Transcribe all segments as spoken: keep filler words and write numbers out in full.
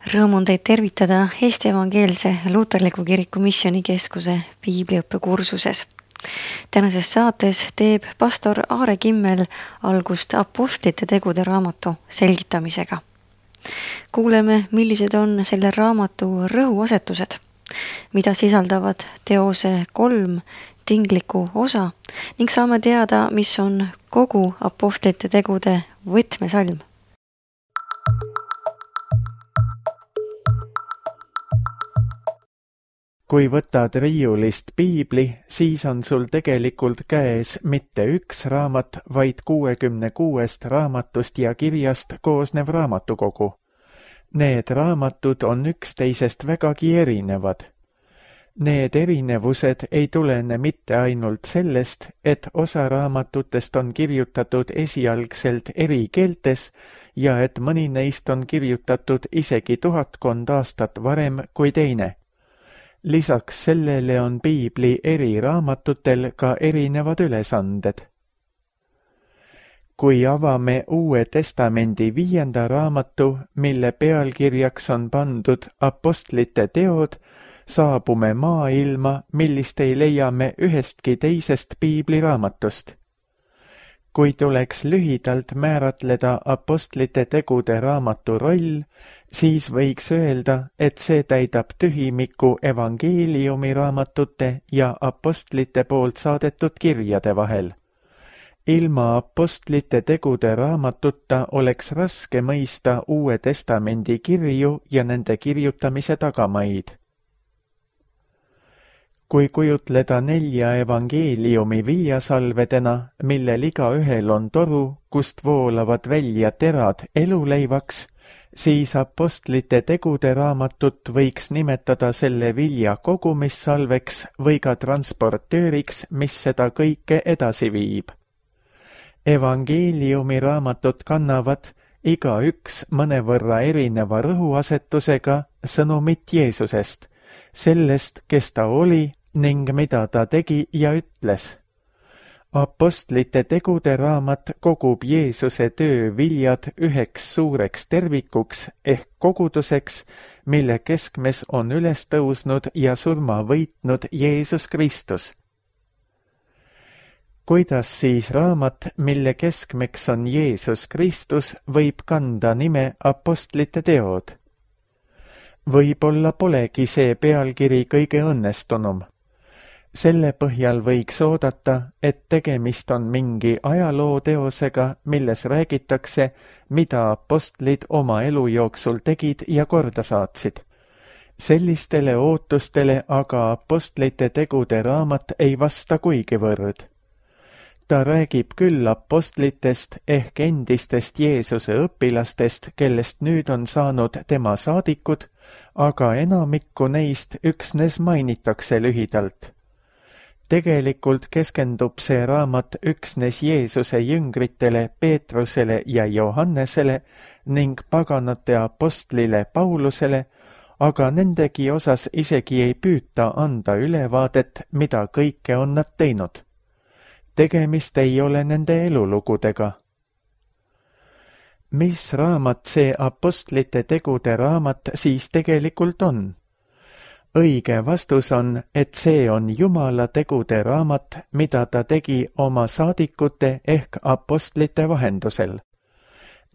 Rõõm on teid tervitada Eesti Evangeelse Luuterliku Kiriku Missioonikeskuse piibliõppe kursuses. Tänases saates teeb pastor Aare Kimmel algust apostlite tegude raamatu selgitamisega. Kuuleme, millised on selle raamatu rõhuasetused, mida sisaldavad teose kolm tingliku osa ning saame teada, mis on kogu apostlite tegude võtmesalm. Kui võtad riiulist piibli, siis on sul tegelikult käes mitte üks raamat, vaid kuuekümne kuuest raamatust ja kirjast koosnev raamatukogu. Need raamatud on üksteisest vägagi erinevad. Need erinevused ei tulene mitte ainult sellest, et osa raamatutest on kirjutatud esialgselt eri keeltes ja et mõni neist on kirjutatud isegi tuhatkond aastat varem kui teine. Lisaks sellele on piibli eri raamatutel ka erinevad ülesanded. Kui avame Uue Testamendi viienda raamatu, mille pealkirjaks on pandud Apostlite teod, saabume maailma, millist ei leia me ühestki teisest piibliraamatust. Kui tuleks lühidalt määratleda apostlite tegude raamatu roll, siis võiks öelda, et see täidab tühimiku evangeeliumi raamatute ja apostlite poolt saadetud kirjade vahel. Ilma apostlite tegude raamatuta oleks raske mõista Uue Testamendi kirju ja nende kirjutamise tagamaid. Kui kujutleda nelja evangeeliumi viljasalvedena, millel igaühel on toru, kust voolavad välja terad eluleivaks, siis apostlite tegude raamatut võiks nimetada selle vilja kogumissalveks või ka transportööriks, mis seda kõike edasi viib. Evangeeliumi raamatut kannavad iga üks mõnevõrra erineva rõhuasetusega sõnumit Jeesusest, sellest, kes ta oli ning mida ta tegi ja ütles. Apostlite tegude raamat kogub Jeesuse töö viljad üheks suureks tervikuks ehk koguduseks, mille keskmes on üles tõusnud ja surma võitnud Jeesus Kristus. Kuidas siis raamat, mille keskmeks on Jeesus Kristus, võib kanda nime Apostlite teod? Võib-olla polegi see pealkiri kõige õnnestunum. Selle põhjal võiks oodata, et tegemist on mingi ajalooteosega, milles räägitakse, mida apostlid oma elu jooksul tegid ja korda saatsid. Sellistele ootustele aga apostlite tegude raamat ei vasta kuigivõrd. Ta räägib küll apostlitest ehk endistest Jeesuse õpilastest, kellest nüüd on saanud tema saadikud, aga enamikku neist üksnes mainitakse lühidalt. Tegelikult keskendub see raamat üksnes Jeesuse jüngritele Peetrusele ja Johannesele ning paganate apostlile Paulusele, aga nendegi osas isegi ei püüta anda ülevaadet, mida kõike on nad teinud. Tegemist ei ole nende elulugudega. Mis raamat see apostlite tegude raamat siis tegelikult on? Õige vastus on, et see on Jumala tegude raamat, mida ta tegi oma saadikute ehk apostlite vahendusel.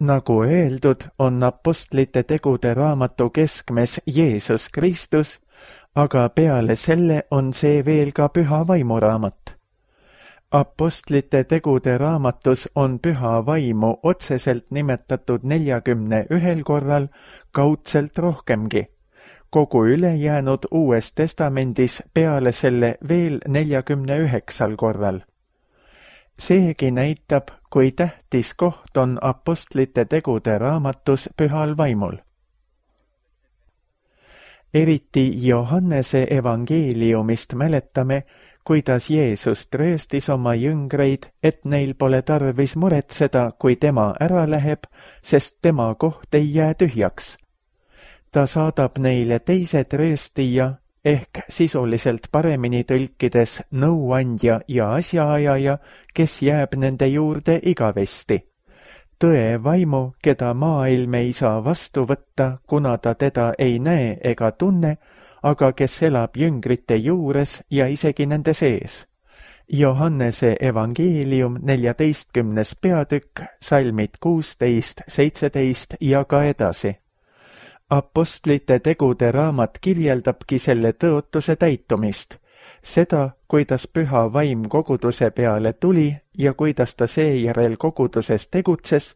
Nagu öeldud, on apostlite tegude raamatu keskmes Jeesus Kristus, aga peale selle on see veel ka püha vaimu raamat. Apostlite tegude raamatus on püha vaimu otseselt nimetatud neljakümne ühel korral, kaudselt rohkemgi. Kogu ülejäänud Uues Testamendis peale selle veel neljakümne üheksal korral. Seegi näitab, kui tähtis koht on apostlite tegude raamatus pühal vaimul. Eriti Johannese evangeeliumist mäletame, kuidas Jeesus trööstis oma jüngreid, et neil pole tarvis muretseda, kui tema ära läheb, sest tema koht ei jää tühjaks. Ta saadab neile teise trööstija ehk sisuliselt paremini tõlkides nõuandja ja asjaajaja, kes jääb nende juurde igavesti. tõe vaimu, keda maailm ei saa vastu võtta, kuna ta teda ei näe ega tunne, aga kes elab jüngrite juures ja isegi nende sees. Johannese evangeelium neljateistkümnes peatükk, salmid kuusteist, seitseteist ja ka edasi. Apostlite tegude raamat kirjeldabki selle tõotuse täitumist, seda, kuidas püha vaim koguduse peale tuli ja kuidas ta seejärel koguduses tegutses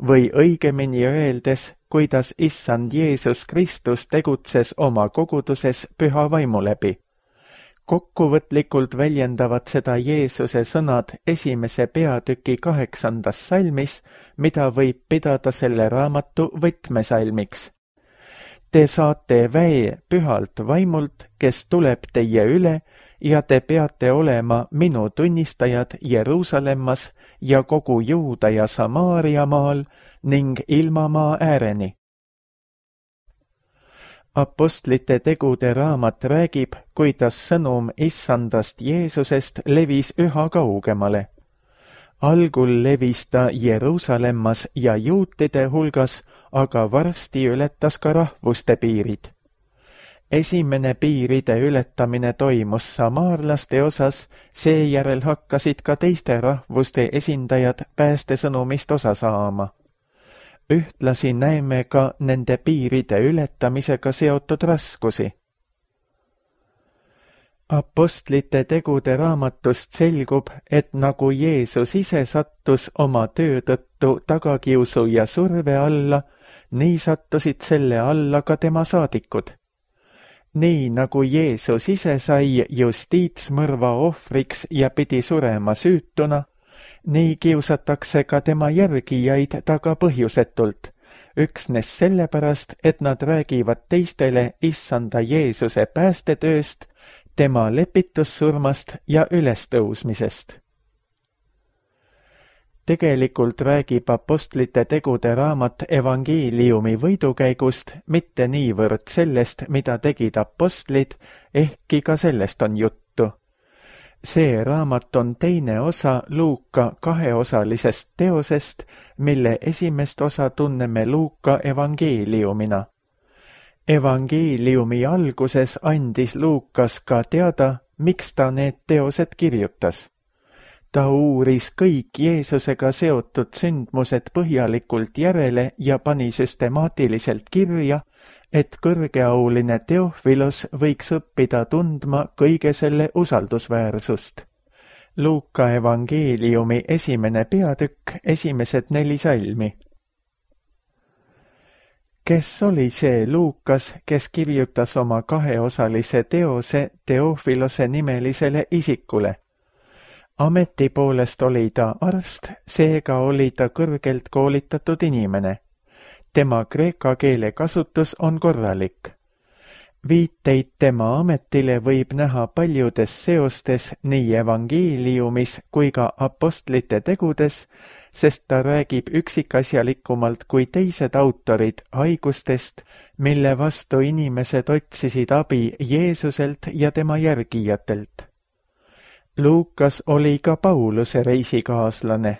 või õigemini öeldes, kuidas issand Jeesus Kristus tegutses oma koguduses püha vaimu läbi. Kokkuvõtlikult väljendavad seda Jeesuse sõnad esimese peatüki kaheksandas salmis, mida võib pidada selle raamatu võtmesalmiks. Te saate väe pühalt vaimult, kes tuleb teie üle, ja te peate olema minu tunnistajad Jeruusalemmas ja kogu Juuda ja Samaaria maal ning ilmamaa ääreni. Apostlite tegude raamat räägib, kuidas sõnum issandast Jeesusest levis üha kaugemale. Algul levis ta Jeruusalemmas ja juutide hulgas, aga varsti ületas ka rahvuste piirid. Esimene piiride ületamine toimus samaarlaste osas, seejärel hakkasid ka teiste rahvuste esindajad päästesõnumist osa saama. Ühtlasi näeme ka nende piiride ületamisega seotud raskusi. Apostlite tegude raamatust selgub, et nagu Jeesus ise sattus oma töö tõttu tagakiusu ja surve alla, nii sattusid selle alla ka tema saadikud. Nii nagu Jeesus ise sai justiitsmõrva ohvriks ja pidi surema süütuna, nii kiusatakse ka tema järgijaid taga põhjusetult, üksnes sellepärast, et nad räägivad teistele issanda Jeesuse päästetööst, tema lepitussurmast ja ülestõusmisest. Tegelikult räägib apostlite tegude raamat evangeeliumi võidukäigust, mitte niivõrd sellest, mida tegid apostlid, ehkki ka sellest on juttu. See raamat on teine osa Luuka kaheosalisest teosest, mille esimest osa tunneme Luuka evangeeliumina. Evangeeliumi alguses andis Luukas ka teada, miks ta need teosed kirjutas. Ta uuris kõik Jeesusega seotud sündmused põhjalikult järele ja pani süstemaatiliselt kirja, et kõrgeauline Teofilos võiks õppida tundma kõige selle usaldusväärsust. Luuka evangeeliumi esimene peatükk, esimesed neli salmi. Kes oli see Luukas, kes kirjutas oma kaheosalise teose Teofilose nimelisele isikule? Ameti poolest oli ta arst, seega oli ta kõrgelt koolitatud inimene. Tema kreeka keele kasutus on korralik. Viiteid tema ametile võib näha paljudes seostes nii evangeeliumis kui ka apostlite tegudes, sest ta räägib üksikasjalikumalt kui teised autorid haigustest, mille vastu inimesed otsisid abi Jeesuselt ja tema järgijatelt. Luukas oli ka Pauluse reisikaaslane.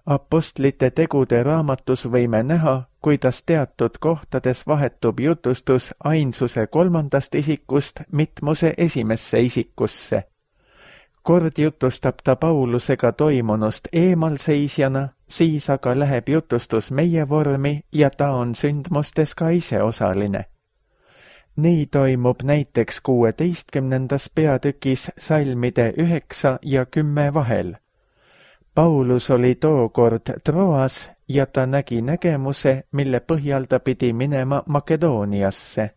Apostlite tegude raamatus võime näha, kuidas teatud kohtades vahetub jutustus ainsuse kolmandast isikust mitmuse esimesse isikusse. Kord jutustab ta Paulusega toimunust eemalseisjana, siis aga läheb jutustus meie vormi ja ta on sündmustes ka ise osaline. Nii toimub näiteks kuueteistkümnendas peatükis salmide üheksa ja kümme vahel. Paulus oli tookord Troas ja ta nägi nägemuse, mille põhjal ta pidi minema Makedooniasse.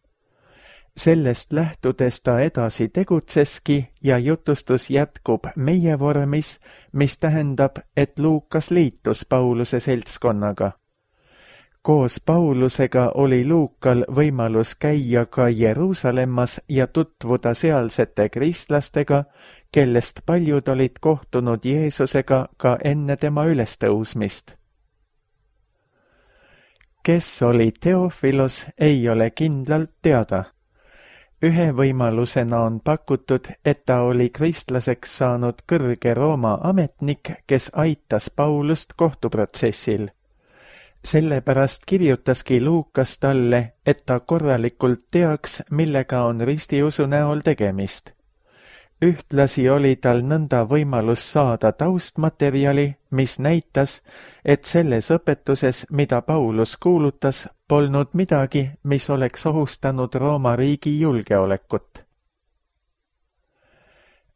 Sellest lähtudes ta edasi tegutseski ja jutustus jätkub meie vormis, mis tähendab, et Luukas liitus Pauluse seltskonnaga. Koos Paulusega oli Luukal võimalus käia ka Jeruusalemmas ja tutvuda sealsete kristlastega, kellest paljud olid kohtunud Jeesusega ka enne tema ülestõusmist. Kes oli Teofilos, ei ole kindlalt teada. Ühe võimalusena on pakutud, et ta oli kristlaseks saanud kõrge Rooma ametnik, kes aitas Paulust kohtuprotsessil. Sellepärast kirjutaski Luukas talle, et ta korralikult teaks, millega on ristiusu näol tegemist. Ühtlasi oli tal nõnda võimalus saada taustmaterjali, mis näitas, et selles õpetuses, mida Paulus kuulutas, polnud midagi, mis oleks ohustanud Rooma riigi julgeolekut.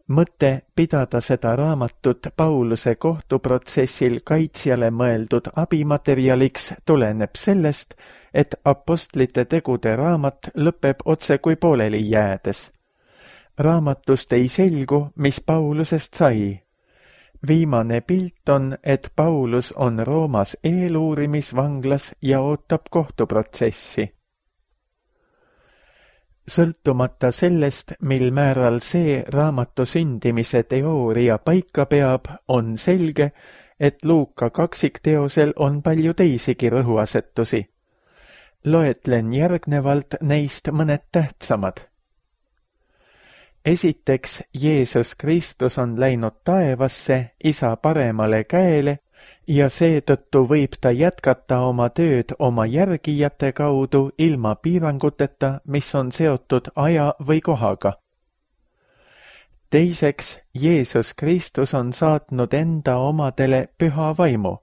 Mõte pidada seda raamatut Pauluse kohtuprotsessil kaitsjale mõeldud abimaterjaliks tuleneb sellest, et apostlite tegude raamat lõpeb otse kui pooleli jäädes. Raamatust ei selgu, mis Paulusest sai. Viimane pilt on, et Paulus on Roomas eeluurimisvanglas ja ootab kohtuprotsessi. Sõltumata sellest, mil määral see raamatu sündimise teooria paika peab, on selge, et Luuka kaksikteosel on palju teisigi rõhuasetusi. Loetlen järgnevalt neist mõned tähtsamad. Esiteks, Jeesus Kristus on läinud taevasse Isa paremale käele ja seetõttu võib ta jätkata oma tööd oma järgijate kaudu ilma piiranguteta, mis on seotud aja või kohaga. Teiseks, Jeesus Kristus on saatnud enda omadele püha vaimu.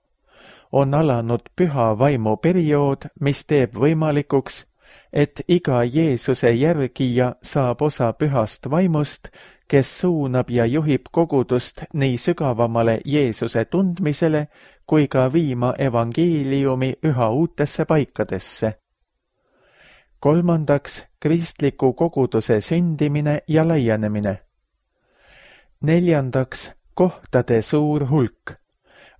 On alanud püha vaimu periood, mis teeb võimalikuks, et iga Jeesuse järgija saab osa pühast vaimust, kes suunab ja juhib kogudust nii sügavamale Jeesuse tundmisele kui ka viima evangeeliumi üha uutesse paikadesse. Kolmandaks, kristliku koguduse sündimine ja laienemine. Neljandaks, kohtade suur hulk.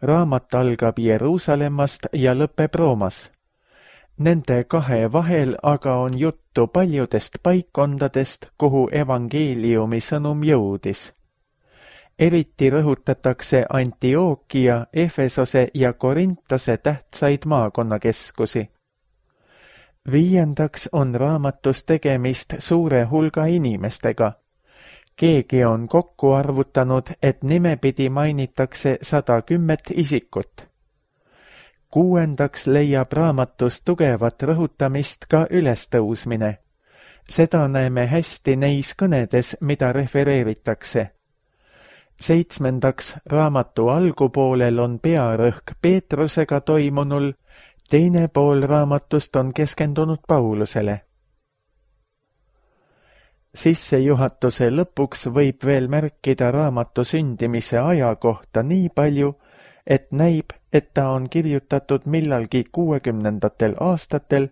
Raamat algab Jeruusalemmast ja lõpeb Roomas. Nende kahe vahel aga on juttu paljudest paikkondadest, kuhu evangeeliumi sõnum jõudis. Eriti rõhutatakse Antiookia, Efesose ja Korintose tähtsaid maakonnakeskusi. Viiendaks on raamatus tegemist suure hulga inimestega. Keegi on kokku arvutanud, et nimepidi mainitakse sada kümmet isikut. Kuuendaks leiab raamatus tugevat rõhutamist ka ülestõusmine. Seda näeme hästi neis kõnedes, mida refereeritakse. Seitsmendaks, raamatu algupoolel on pearõhk Peetrusega toimunul, teine pool raamatust on keskendunud Paulusele. Sissejuhatuse lõpuks võib veel märkida raamatu sündimise aja kohta nii palju, et näib, et ta on kirjutatud millalgi kuuekümnendatel aastatel,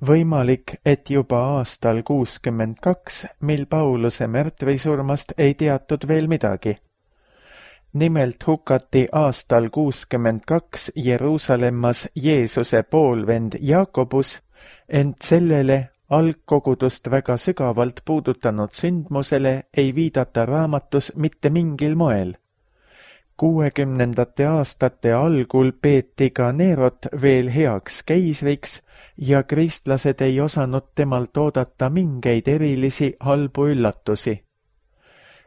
võimalik, et juba aastal kuuskümmend kaks, mil Pauluse märtrisurmast ei teatud veel midagi. Nimelt hukati aastal kuuskümmend kaks Jeruusalemmas Jeesuse poolvend Jaakobus, ent sellele algkogudust väga sügavalt puudutanud sündmusele ei viidata raamatus mitte mingil moel. Kuuekümnendate aastate algul peeti ka Nerot veel heaks keisriks ja kristlased ei osanud temalt oodata mingeid erilisi halbu üllatusi.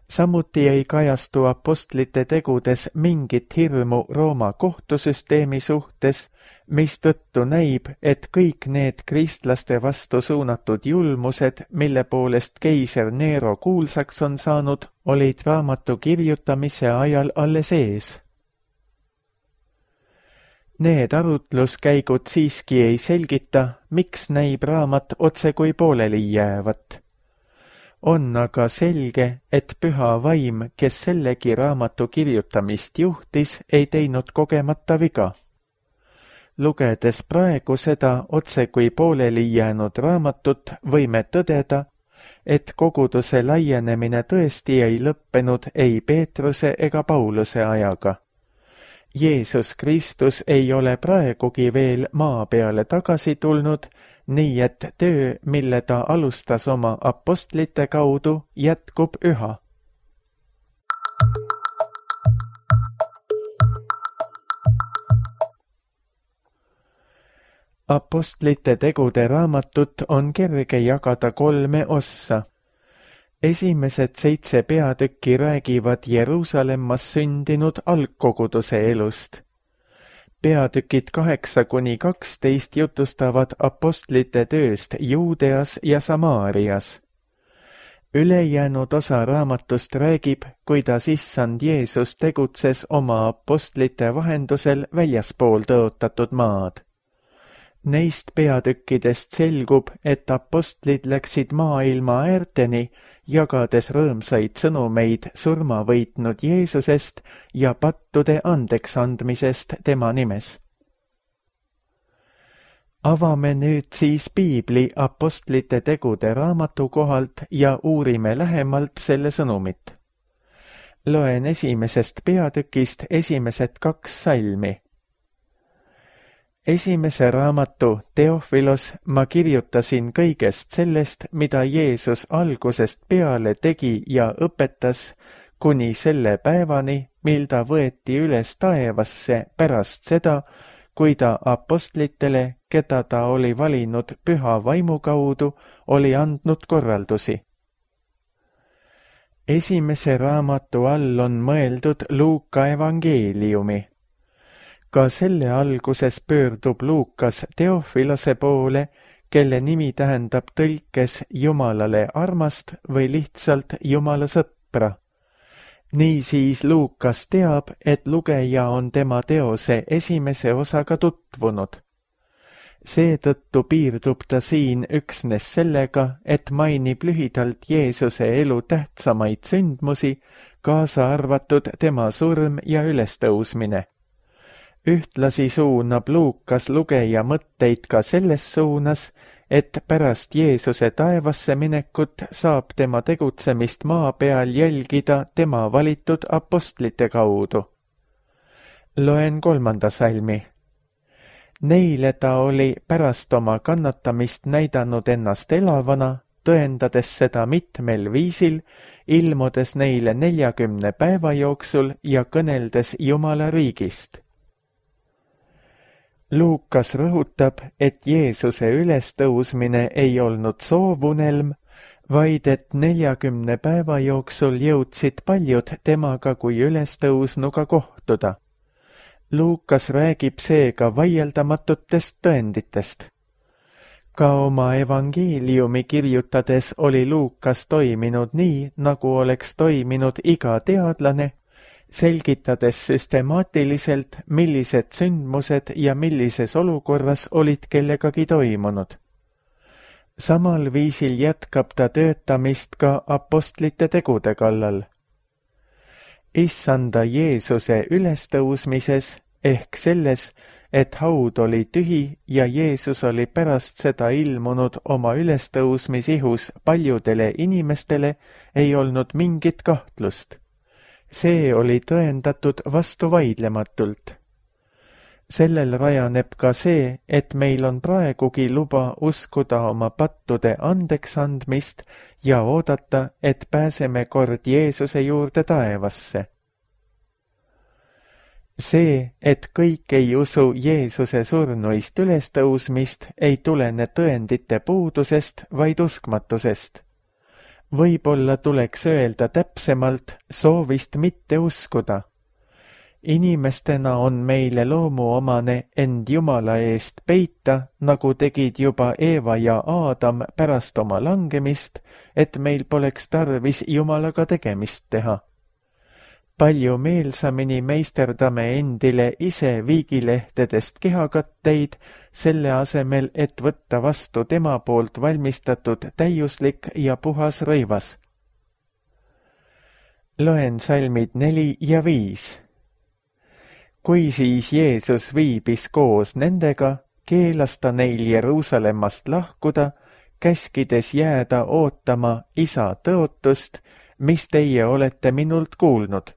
Samuti ei kajastu apostlite tegudes mingit hirmu Rooma kohtusüsteemi suhtes, mistõttu näib, et kõik need kristlaste vastu suunatud julmused, mille poolest keiser Nero kuulsaks on saanud, olid raamatu kirjutamise ajal alles ees. Need arutluskäigud siiski ei selgita, miks näib raamat otse kui pooleli jäävat. On aga selge, et püha vaim, kes sellegi raamatu kirjutamist juhtis, ei teinud kogemata viga. Lugedes praegu seda otse kui pooleli jäänud raamatut, võime tõdeda, et koguduse laienemine tõesti ei lõppenud ei Peetruse ega Pauluse ajaga. Jeesus Kristus ei ole praegugi veel maa peale tagasi tulnud, nii et töö, mille ta alustas oma apostlite kaudu, jätkub üha. Apostlite tegude raamatut on kerge jagada kolme ossa. esimesed seitse peatükki räägivad Jeruusalemmas sündinud algkoguduse elust. Peatükid kaheksa kuni kaksteist jutustavad apostlite tööst Juudeas ja Samaarias. Ülejäänud osa raamatust räägib, kuidas issand Jeesus tegutses oma apostlite vahendusel väljaspool tõotatud maad. Neist peatükkidest selgub, et apostlid läksid maailma äärteni, jagades rõõmsaid sõnumeid surma võitnud Jeesusest ja pattude andeks andmisest tema nimes. Avame nüüd siis piibli apostlite tegude raamatu kohalt ja uurime lähemalt selle sõnumit. Loen esimesest peatükist esimesed kaks salmi. Esimese raamatu Teofilos ma kirjutasin kõigest sellest, mida Jeesus algusest peale tegi ja õpetas, kuni selle päevani, mil ta võeti üles taevasse pärast seda, kui ta apostlitele, keda ta oli valinud püha vaimu kaudu, oli andnud korraldusi. Esimese raamatu all on mõeldud Luuka evangeeliumi. Ka selle alguses pöördub Luukas Teofilose poole, kelle nimi tähendab tõlkes Jumalale armast või lihtsalt Jumala sõpra. Niisiis Luukas teab, et lugeja on tema teose esimese osaga tutvunud. Seetõttu piirdub ta siin üksnes sellega, et mainib lühidalt Jeesuse elu tähtsamaid sündmusi, kaasa arvatud tema surm ja ülestõusmine. Ühtlasi suunab Luukas lugeja mõtteid ka selles suunas, et pärast Jeesuse taevasse minekut saab tema tegutsemist maa peal jälgida tema valitud apostlite kaudu. Loen kolmanda salmi. Neile ta oli pärast oma kannatamist näidanud ennast elavana, tõendades seda mitmel viisil, ilmudes neile neljakümne päeva jooksul ja kõneldes Jumala riigist. Luukas rõhutab, et Jeesuse ülestõusmine ei olnud soovunelm, vaid et neljakümne päeva jooksul jõudsid paljud temaga kui ülestõusnuga kohtuda. Luukas räägib seega vaieldamatutest tõenditest. Ka oma evangeeliumi kirjutades oli Luukas toiminud nii, nagu oleks toiminud iga teadlane, selgitades süstemaatiliselt, millised sündmused ja millises olukorras olid kellegagi toimunud. Samal viisil jätkab ta töötamist ka apostlite tegude kallal. Issanda Jeesuse ülestõusmises ehk selles, et haud oli tühi ja Jeesus oli pärast seda ilmunud oma ülestõusmisihus paljudele inimestele, ei olnud mingit kahtlust. See oli tõendatud vastuvaidlematult. Sellel rajaneb ka see, et meil on praegugi luba uskuda oma pattude andeks andmist ja oodata, et pääseme kord Jeesuse juurde taevasse. See, et kõik ei usu Jeesuse surnuist ülestõusmist, ei tulene tõendite puudusest, vaid uskmatusest. Võib-olla tuleks öelda täpsemalt soovist mitte uskuda. Inimestena on meile loomuomane end Jumala eest peita, nagu tegid juba Eeva ja Aadam pärast oma langemist, et meil poleks tarvis Jumalaga tegemist teha. Palju meelsamini meisterdame endile ise viigilehtedest kehakatteid, selle asemel, et võtta vastu tema poolt valmistatud täiuslik ja puhas rõivas. Loen salmid neli ja viis. Kui siis Jeesus viibis koos nendega, keelas ta neil Jeruusalemmast lahkuda, käskides jääda ootama Isa tõotust, mis teie olete minult kuulnud.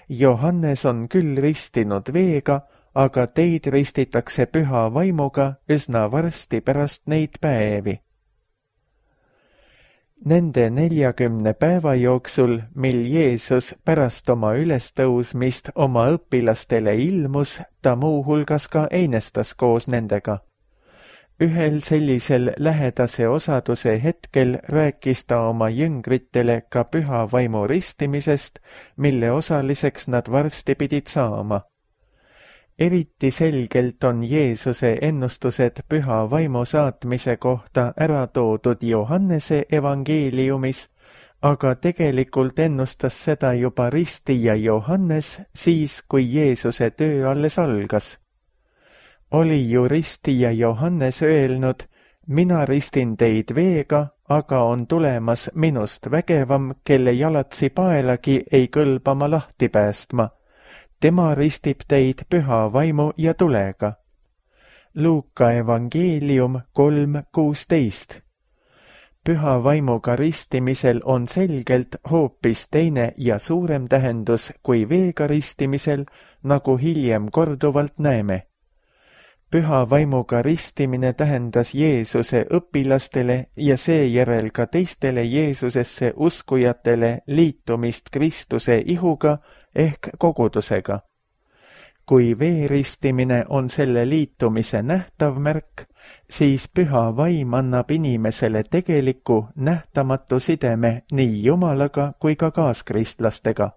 Johannes on küll ristinud veega, aga teid ristitakse püha vaimuga üsna varsti pärast neid päevi. Nende neljakümne päeva jooksul, mil Jeesus pärast oma ülestõusmist oma õpilastele ilmus, ta muuhulgas ka einestas koos nendega. ühel sellisel lähedase osaduse hetkel rääkis ta oma jüngritele ka püha vaimu ristimisest, mille osaliseks nad varsti pidid saama. Eriti selgelt on Jeesuse ennustused püha vaimu saatmise kohta ära toodud Johannese evangeeliumis, aga tegelikult ennustas seda juba ristija Johannes siis, kui Jeesuse töö alles algas. Oli ju ristija Johannes öelnud, mina ristin teid veega, aga on tulemas minust vägevam, kelle jalatsi paelagi ei kõlba ma lahti päästma. Tema ristib teid püha vaimu ja tulega. Luuka evangeelium kolm kuusteist. Püha vaimuga ristimisel on selgelt hoopis teine ja suurem tähendus kui veega ristimisel, nagu hiljem korduvalt näeme. Püha vaimuga ristimine tähendas Jeesuse õpilastele ja seejärel ka teistele Jeesusesse uskujatele liitumist Kristuse ihuga ehk kogudusega. Kui veeristimine on selle liitumise nähtav märk, siis püha vaim annab inimesele tegeliku nähtamatu sideme nii Jumalaga kui ka kaaskristlastega.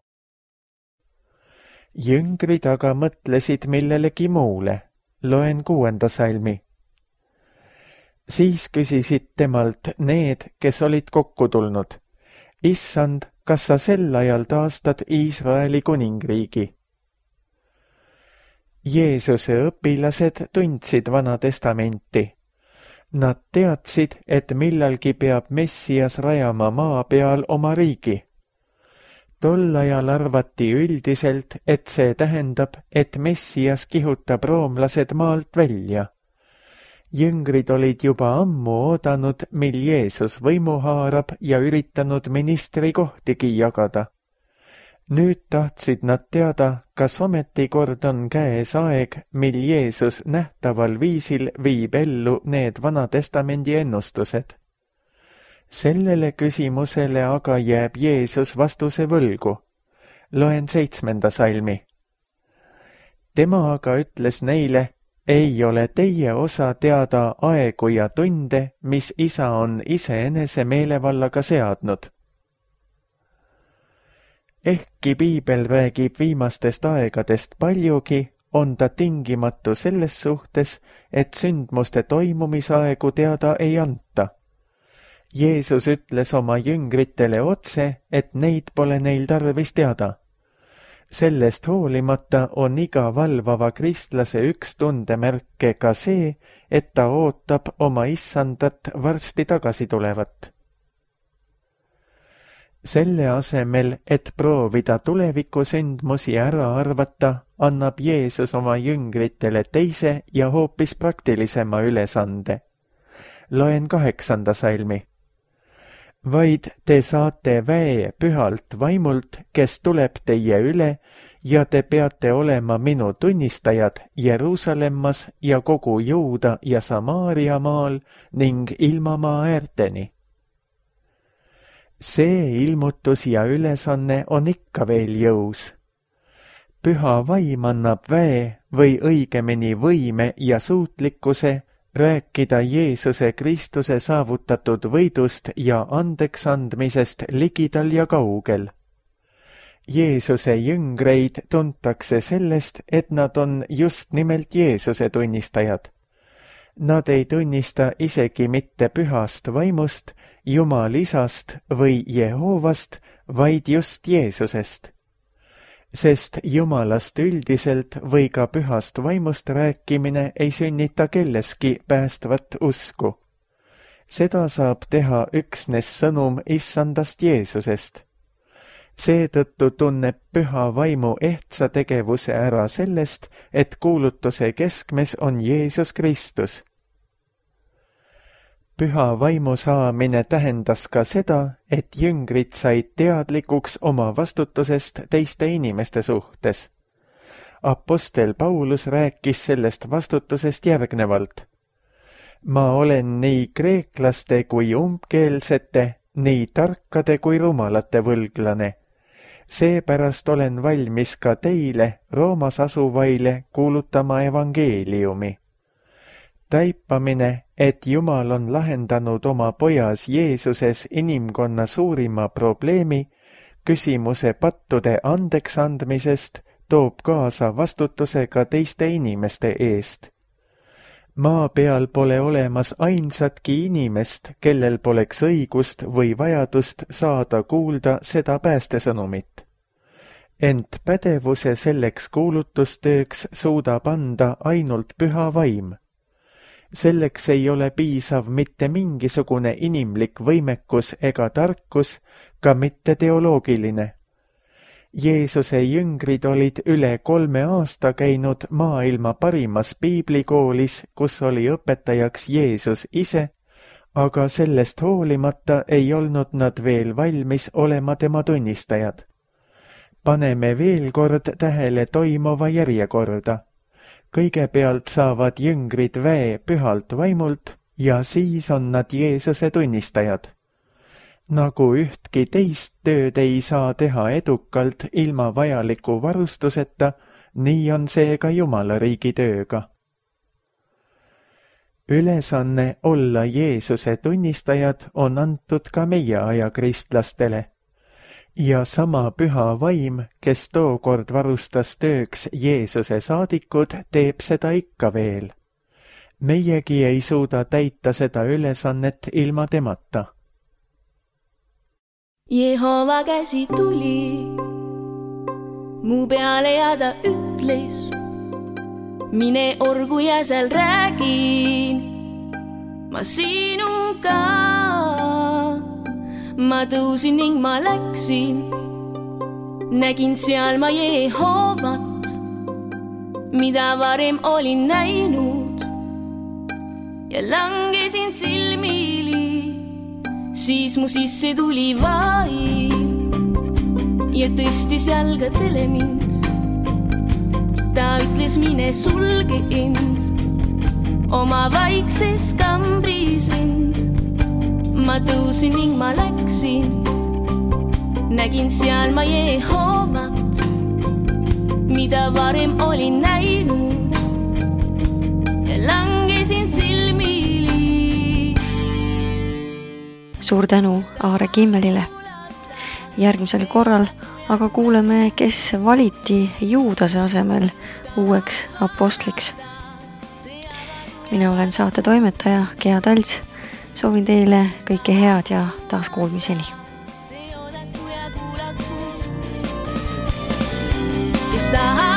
Jüngrid aga mõtlesid millelegi muule. Loen kuuenda salmi. Siis küsisid temalt need, kes olid kokku tulnud. Issand, kas sa sel ajal taastad Iisraeli kuningriigi? Jeesuse õpilased tundsid Vana Testamenti. Nad teadsid, et millalgi peab Messias rajama maa peal oma riigi. Tol ajal arvati üldiselt, et see tähendab, et Messias kihutab roomlased maalt välja. Jüngrid olid juba ammu oodanud, mil Jeesus võimu haarab ja üritanud ministrikohtigi jagada. Nüüd tahtsid nad teada, kas ometi kord on käes aeg, mil Jeesus nähtaval viisil viib ellu need Vana Testamendi ennustused. Sellele küsimusele aga jääb Jeesus vastuse võlgu. Loen seitsmenda salmi. Tema aga ütles neile, ei ole teie osa teada aegu ja tunde, mis Isa on iseenese meelevallaga seadnud. Ehkki piibel räägib viimastest aegadest paljugi, on ta tingimatu selles suhtes, et sündmuste toimumisaegu teada ei anta. Jeesus ütles oma jüngritele otse, et neid pole neil tarvis teada. Sellest hoolimata on iga valvava kristlase üks tundemärke ka see, et ta ootab oma issandat varsti tagasi tulevat. Selle asemel, et proovida tulevikusündmusi ära arvata, annab Jeesus oma jüngritele teise ja hoopis praktilisema ülesande. Loen kaheksanda salmi. Vaid te saate väe pühalt vaimult, kes tuleb teie üle, ja te peate olema minu tunnistajad Jeruusalemmas ja kogu Juuda ja Samaaria maal ning ilmamaa äärteni. See ilmutus ja ülesanne on ikka veel jõus. Püha vaim annab väe või õigemini võime ja suutlikkuse rääkida Jeesuse Kristuse saavutatud võidust ja andeksandmisest ligidal ja kaugel. Jeesuse jüngreid tuntakse sellest, et nad on just nimelt Jeesuse tunnistajad. Nad ei tunnista isegi mitte pühast vaimust, Jumalisast või Jehoovast, vaid just Jeesusest. Sest Jumalast üldiselt või ka pühast vaimust rääkimine ei sünnita kelleski päästvat usku. Seda saab teha üksnes sõnum issandast Jeesusest. Seetõttu tunneb püha vaimu ehtsa tegevuse ära sellest, et kuulutuse keskmes on Jeesus Kristus. Püha vaimu saamine tähendas ka seda, et jüngrid said teadlikuks oma vastutusest teiste inimeste suhtes. Apostel Paulus rääkis sellest vastutusest järgnevalt. Ma olen nii kreeklaste kui umbkeelsete, nii tarkade kui rumalate võlglane. Seepärast olen valmis ka teile, Roomas asuvaile, kuulutama evangeeliumi. taipamine, et Jumal on lahendanud oma pojas Jeesuses inimkonna suurima probleemi, küsimuse pattude andeks andmisest, toob kaasa vastutuse ka teiste inimeste eest. Maa peal pole olemas ainsatki inimest, kellel poleks õigust või vajadust saada kuulda seda päästesõnumit. Ent pädevuse selleks kuulutustööks suudab anda ainult püha vaim. Selleks ei ole piisav mitte mingisugune inimlik võimekus ega tarkus, ka mitte teoloogiline. Jeesuse jüngrid olid üle kolme aasta käinud maailma parimas piiblikoolis, kus oli õpetajaks Jeesus ise, aga sellest hoolimata ei olnud nad veel valmis olema tema tunnistajad. Paneme veel kord tähele toimuva järjekorda. Kõigepealt saavad jüngrid väe pühalt vaimult ja siis on nad Jeesuse tunnistajad. Nagu ühtki teist tööd ei saa teha edukalt ilma vajaliku varustuseta, nii on see ka Jumala riigi tööga. Ülesanne olla Jeesuse tunnistajad on antud ka meie aja kristlastele. Ja sama püha vaim, kes tookord varustas tööks Jeesuse saadikud, teeb seda ikka veel. Meiegi ei suuda täita seda ülesannet ilma temata. Jehova käsi tuli mu peale ja ta ütles, mine orgu ja seal räägin ma sinuga. Ma tõusin ning ma läksin, nägin seal ma Jehovat, mida varem olin näinud ja langesin silmili. Siis mu sisse tuli vaim ja tõstis jalgadele mind. Ta ütles, mine sulge end oma vaikses kambris end. Ma tõusin ning ma läksin, nägin seal ma Jehovat, mida varem olin näinud ja langesin silmili. Suur tänu Aare Kimmelile. Järgmisel korral aga kuuleme, kes valiti Juudase asemel uueks apostliks. Mina olen saate toimetaja Gea Talts. Soovin teile kõike head ja taas kuulmiseni. Kes tahab